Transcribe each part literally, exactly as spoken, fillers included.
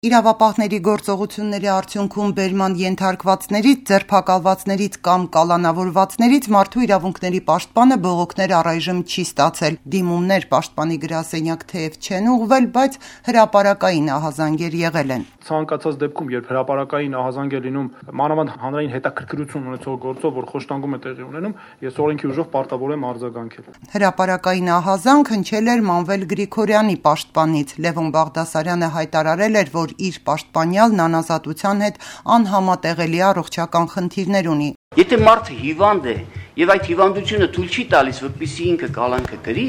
Իրավապահների գործողությունների արդյունքում բերման ենթարկվածներից, ձերբակալվածներից կամ կալանավորվածներից մարդու իրավունքների պաշտպանը բողոքներ առայժմ չի ստացել։ Դիմումներ պաշտպանի գրասենյակ թեև չեն ուղղվել, բայց հրապարակային ահազանգեր եղել են։ Ցանկացած դեպքում, երբ հրապարակային ահազանգ է լինում մանավանդ հանրային հետաքրքրություն ունեցող գործով, որ խոշտանգում է տեղի ունենում, ես օրենքի ուժով պարտավոր եմ արձագանքել։ Հրապարակային ահազանգ հնչել էր Մանվել Գրիգորյանի պաշտպանից։ Լևոն Բաղդասարյանը հայտարարել էր, որ իր պաշտպանյալն անազատության հետ անհամատեղելի առողջական խնդիրներ ունի։ Եթե մարդը հիվանդ է եւ այդ հիվանդությունը թույլ չի տալիս, որպեսզի ինքը կալանքը կրի,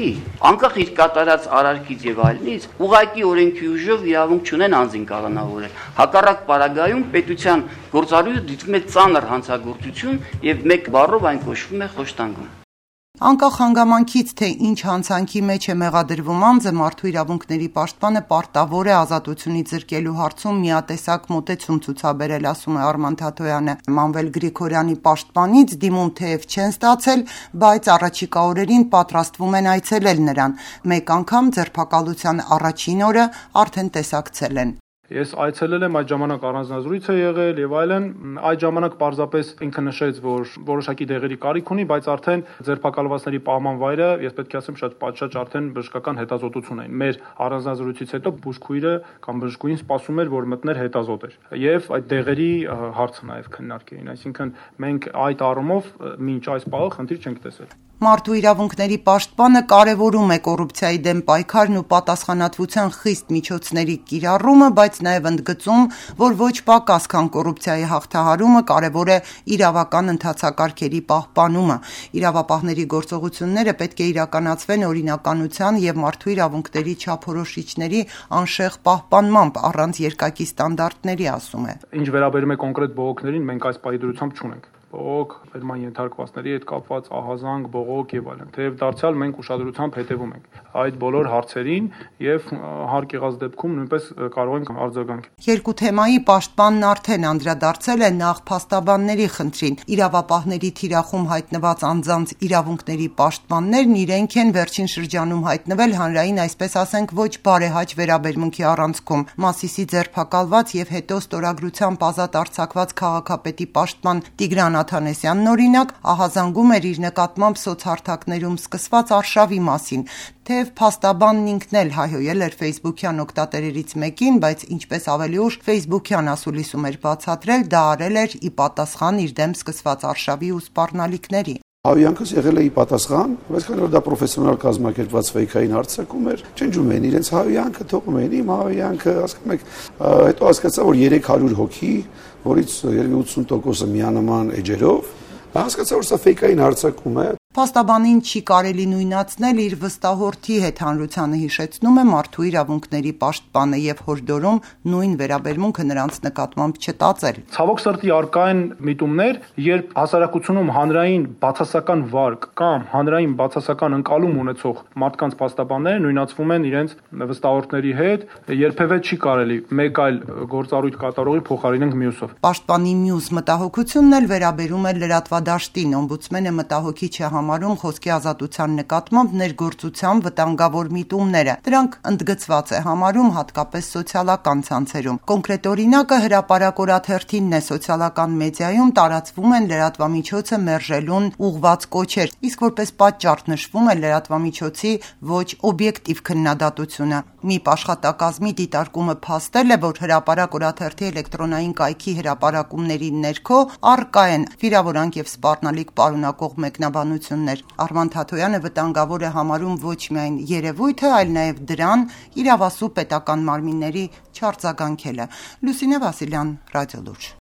անկախ իր կատարած արարքից եւ այլնից, ուղղակի օրենքի ուժով իրավունք չունեն անձին կալանավորել։ Հակառակ պարագայում պետության գործառույթը դիտվում է ծանր հանցագործություն եւ մեկ բառով այն կոչվում է խոշտանգում։ Անկախ հանգամանքից, թե ինչ հանցանքի մեջ է մեղադրվում անձը, մարդու իրավունքների պաշտպանը պարտավոր է ազատությունից զրկելու հարցում միատեսակ մոտեցում ցուցաբերել, ասում է Արման Թաթոյանը։ Մանվել Գրիգորյանի պաշտպանից դիմում թեև չեն ստացել, բայց առաջիկա օրերին պատրաստվում են այցելել նրան։ Մեկ անգամ ձերբակալության առաջին օրը արդեն տեսակցել են։ Ես այցելել եմ, այդ ժամանակ առանձնազրույց է եղել եւ այլն, այդ ժամանակ պարզապես ինքը նշեց, որ որոշակի դեղերի կարիք ունի, բայց արդեն ձերբակալվածների պահման վայրը, ես պետք է ասեմ, շատ պատշաճ արդեն բժշկական հետազոտություն էին։ Մեր առանձնազրույցից հետո բուժքույրը կամ բժշկուհին սպասում էր, որ մտներ հետազոտեր եւ այդ դեղերի հարցը նաեւ քննարկեին, այսինքն մենք այդ առումով մինչ այս պահը խնդիր չենք տեսել։ Մարդու իրավունքների պաշտպանը կարևորում է կոռուպցիայի դեմ պայքարն ու պատասխանատվության խիստ միջոցների կիրառումը, բայց նաև ընդգծում, որ ոչ պակաս քան կոռուպցիայի հաղթահարումը կարևոր է իրավական ընթացակարգերի պահպանումը։ Իրավապահների գործողությունները պետք է իրականացվեն օրինականության եւ մարդու իրավունքների չափորոշիչների անշեղ պահպանմամբ, առանց երկակի ստանդարտների, ասում է։ Ինչ վերաբերում է կոնկրետ բողոքներին, մենք այս պայդրությամբ չունենք։ Բողոք, բերման ենթարկվածների հետ կապված ահազանգ, բողոք եւ այլն։ Թեև դարձյալ մենք ուշադրությամբ հետևում ենք այդ բոլոր հարցերին եւ հարկ եղած դեպքում նույնպես կարող ենք արձագանքել։ Երկու թեմայի պաշտպանն արդեն անդրադարձել է նախ փաստաբանների խնդրին։ Իրավապահների թիրախում հայտնված անձանց իրավունքների պաշտպաններն իրենք են վերջին շրջանում հայտնվել հանրային, այսպես ասենք, ոչ բարեհաճ վերաբերմունքի առանցքում։ Մասիսի ձերբակալված եւ հետո ստորագրությամբ ազատ արձակված քաղաքապետի պաշտպան Տիգրան Աթանեսյանն օրինակ ահազանգում էր իր նկատմամբ սոցհարթակներում սկսված արշավի մասին, թեև փաստաբանն ինքն էլ հայհոյել էր ֆեյսբուքյան օգտատերերից մեկին, բայց ինչպես ավելի ուշ ֆեյսբուքյան ասուլիսում էր բացատրել, դա արել էր ի պատասխան իր դեմ սկսված արշավի ու սպառնալիքների։ Հավյանքս եղել է ի պատասխան, բայց քանի որ դա պրոֆեսիոնալ կազմակերպված ֆեյքային հարցակում էր, չնջում էին իրենց հավյանքը, թողում էին իմ հավյանքը, հասկանում եք, հետո հասկացա, որ երեք հարյուր հոգի, որից ութսուն տոկոսը միանման էջերով, հասկացա, որ սա ֆեյքային հարցակում է։ Փաստաբանին չի կարելի նույնացնել իր վստահորդի հետ, հանրությանը հիշեցնում է մարդու իրավունքների պաշտպանը եւ հորդորում նույն վերաբերմունքը նրանց նկատմամբ չտածել։ Ցավոք սրտի արկա են միտումներ, երբ հասարակությունում հանրային բացասական վարկ կամ հանրային բացասական ընկալում ունեցող մարդկանց փաստաբանները նույնացվում են իրենց վստահորդների հետ, երբևէ չի կարելի մեկ այլ գործառույթ կատարողի փոխարինենք մյուսով։ Պաշտպանի մյուս մտահոգությունն էլ վերաբերում է լրատվադաշտին։ Օմբուդսմենը մտահոգիչ է համարում խոսքի ազատության նկատմամբ ներգործության վտանգավոր միտումները։ Դրանք ընդգծված է համարում հատկապես սոցիալական ցանցերում։ Կոնկրետ օրինակը հրապարակ օրաթերթինն է, սոցիալական մեդիայում տարածվում են լրատվամիջոցը մերժելուն ուղղված կոչեր, իսկ որպես պատճառ նշվում է լրատվամիջոցի ոչ օբյեկտիվ քննադատությունը։ ՄԻՊ աշխատակազմի դիտարկումը փաստել է, որ հրապարակ օրաթերթի էլեկտրոնային կայքի հրապարակումների ներքո առկա են վիրավորանք եւ սպառնալիք պարունակող մեկնաբանություններ։ Արման Թաթոյանը վտանգավոր է համարում ոչ միայն երևույթը, այլ նաեւ դրան իրավասու պետական մարմինների չարձագանքելը։ Լուսինե Վասիլյան, Ռադիոլուրջ։